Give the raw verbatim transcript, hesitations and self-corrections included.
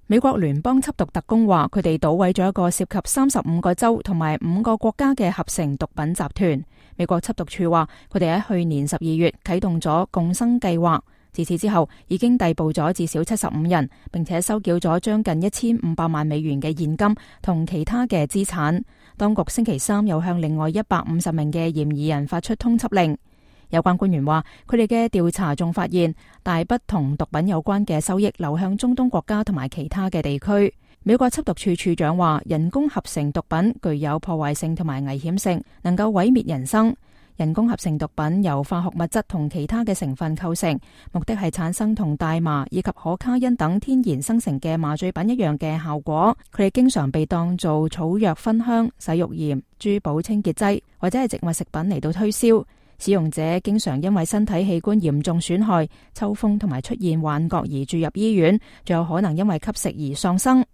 美國聯邦緝毒特工話，佢哋搗毀咗一個涉及三十五個州同埋五個國家嘅合成毒品集團。美國緝毒處話，佢哋喺去年十二月啟動咗共生計劃，自此之後已經逮捕咗至少七十五人，並且收繳咗將近一千五百萬美元嘅現金同其他嘅資產。當局星期三又向另外一百五十名嘅嫌疑人發出通緝令。有關官員話，佢哋嘅調查仲發現大筆同毒品有關嘅收益流向中東國家同埋其他嘅地區。美國緝毒處處長話，人工合成毒品具有破壞性同埋危險性，能夠毀滅人生。人工合成毒品由化學物質同其他嘅成分構成，目的係產生同大麻以及可卡因等天然生成嘅麻醉品一樣嘅效果。佢哋經常被當做草藥熏香、洗浴鹽、珠寶清潔劑或者係植物食品嚟到推銷。使用者經常因為身體器官嚴重損害、抽風同埋出現幻覺而住入醫院，仲有可能因為吸食而喪生。